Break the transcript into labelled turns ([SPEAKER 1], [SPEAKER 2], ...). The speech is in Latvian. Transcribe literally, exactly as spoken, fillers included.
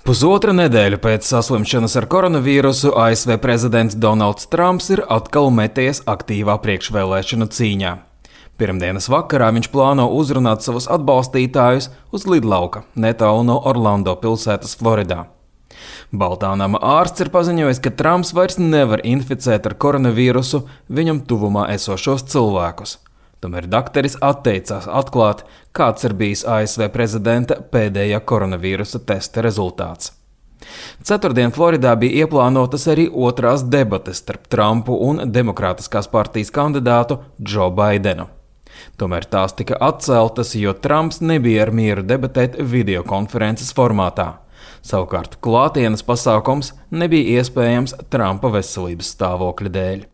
[SPEAKER 1] Pusotra nedēļa pēc saslimšanas ar koronavīrusu A S V prezidents Donalds Trumps ir atkal meties aktīvā priekšvēlēšanu cīņā. Pirmdienas vakarā viņš plāno uzrunāt savus atbalstītājus uz lidlauka netālu no Orlando pilsētas Floridā. Baltā nama ārsts ir paziņojis, ka Trumps vairs nevar inficēt ar koronavīrusu viņam tuvumā esošos cilvēkus. Tomēr dakteris atteicās atklāt, kāds ir bijis A S V prezidenta pēdējā koronavīrusa testa rezultāts. Ceturtdien Floridā bija ieplānotas arī otrās debates starp Trumpu un Demokrātiskās partijas kandidātu Džo Baidenu. Tomēr tās tika atceltas, jo Trumps nebija ar mieru debatēt videokonferences formātā. Savukārt klātienes pasākums nebija iespējams Trumpa veselības stāvokļa dēļ.